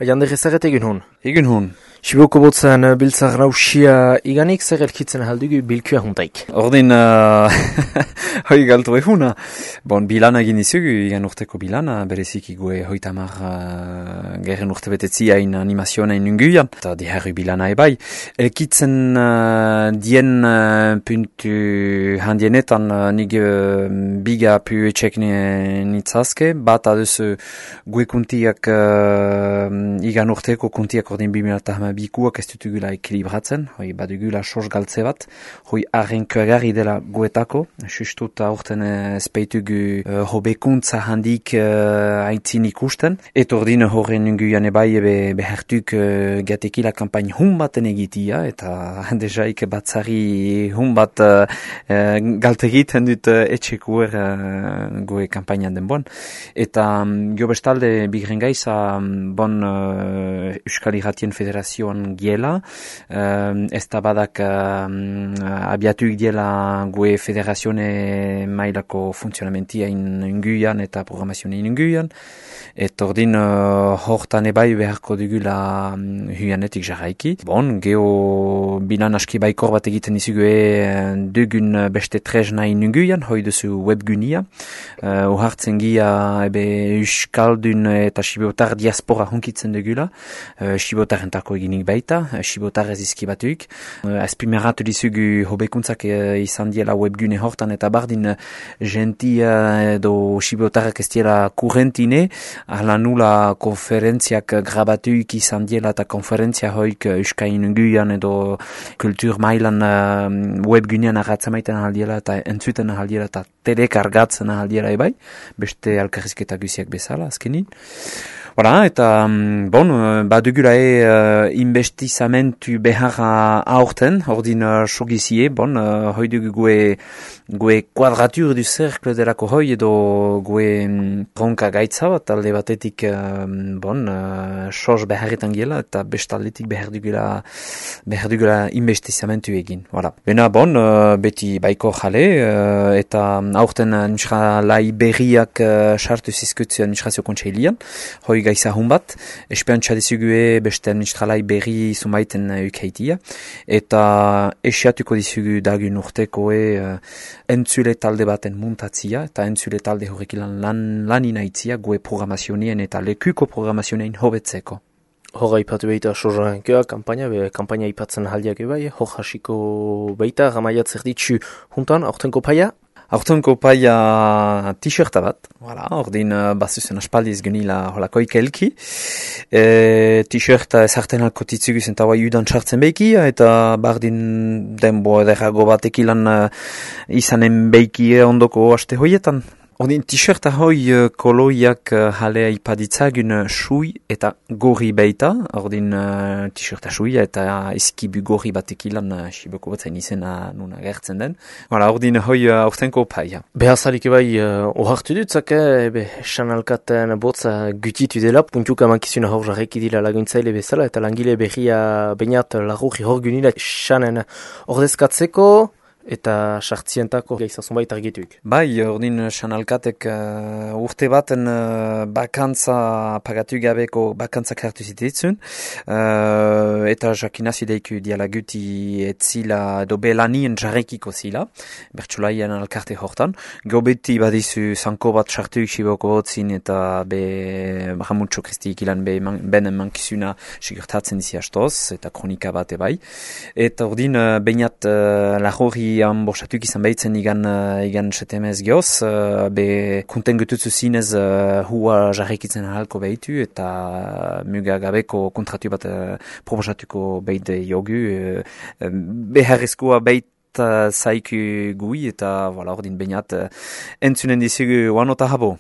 Jander ezaget egin hon. Egin hon. Siboko botzen biltzak rausia iganik zer elkitzen haldugu bilkua huntaik. Ordin, hoi galtu ehuna. Bon, bilana egin izugu, igan urteko bilana, berezik igue hoitamar gerren urte betetzi hain animazioa nahin nunguian. Eta diherru bilana ebai. Elkitzen dien puntu handienetan nig biga pu etxek nitzazke, bat aduzu gue kuntiak igan urteko kuntiak ordin 2008 ez dutugula ekilibratzen, hoi badugula sos galtze bat, hoi arrenkoagarri dela guetako, sustut aurten ezpeitugu hobekuntza handik aitzin ikusten, eta ordin horren nunguian ebai behertuk gatekila kampain hun baten egitia, eta dejaik batzari hun bat galtegiten dut etxekuer goe kampainan den bon. Eta jo bestalde bigren gaiza bon Euskal Irratien Federazioan giela, ez da badak abiatuik diela gue federazione mailako funtzionamentia inguian eta programazioa inguian, eta ordin hortan ebai beharko dugula huianetik jarraiki. Bon, geho bilan aski baikor bat egiten izugue dugun beste tresna inguian, hoi duzu webgunia, uhartzen gia Euskaldun eta Sibotar diaspora hunkitzen dugula, Sibotarentako eginik baita, Sibotar ez izkibatuik. Azpimeratu dizugu hobekuntzak izan diela webgune hortan eta bardin gentia edo Sibotarrak ez diela kurrentine, ala nula konferentziak grabatuik izan diela eta konferentzia hoik Euskain unguian edo kultur mailan webgunean arratzamaiten ahaldiela eta entzuten ahaldiela eta telek argatzen ahaldiela ebai, beste alkarrizketa guziak bezala azkenin. Voilà, eta bon, badugula investizamentu beharra aurten, ordin sogizie, bon, hoi dugu gue quadratur du cercle delako hoi edo gue ronka gaitza bat, alde batetik, bon, sos beharretan giela, eta bestaldetik behar dugula investizamentu egin, voilà. Bena, bon, beti baiko jale, eta aurten nusra lai berriak sartu zizkutzen nusrazio kontseilian, hoi gaiza hun bat, espeantza dizugue beste administralai berri zumaiten ukeitia, eta esiatuko dizugu dagun urtekoe entzule talde baten muntatzia, eta entzule talde horrekilan lan inaitzia gue programazionien eta lekuko programazionien hobetzeko. Hora ipatu behita sozankea, kampaina ipatzen haldiak ebai, hor hasiko behita, gamaiat zer ditzu juntan, aurtenko paia? Aurtenko paia t-shirta bat, voilà, ordin bazuzen aspaldiz genila holakoik elki. T-shirta ezarten halko titzugu zentaua judan sartzen beiki, eta bardin denbo ederago batekilan izanen beiki ondoko aste hoietan. Ordin t-shirta hoi koloiak jalea ipaditzagun sui eta gorri beita, ordin t-shirta suia eta izkibu gorri batekilan siboko batzen izena nuna gertzen den. Voilà, ordin hoi aurtenko paia. Behazalik ebai ohartu dutzak, sanalkaten botza gutitu dela, puntuka mankizuna hor jarreki dila laguntzaile bezala, eta langile berria bainat lagurri hor gunila sanen ordezkatzeko, eta sartzientako gaizazun baita argituik. Bai, ordin sanalkatek urte baten bakantza pagatu gabeko bakantzak hartu zitetzun, eta jakinazi deiku dialaguti etzila edo belanien jarrekiko zila, bertsulaian alkarte hortan. Gobeti badizu zanko bat sartuik siboko hotzin eta Ramutxo Kristi ikilan benen mankizuna sigurtatzen dizi astoz, eta kronika bat ebai. Eta ordin bainat lagori bostatuk izan behitzen igan setemez geoz, kunten gututzu zinez hua jarrekitzen halko behitu eta mugagabeko kontratu bat proposatuko behide jogu, beharrezkoa behit zaiku gui eta ordin bainat entzunen dizugu wanota habo.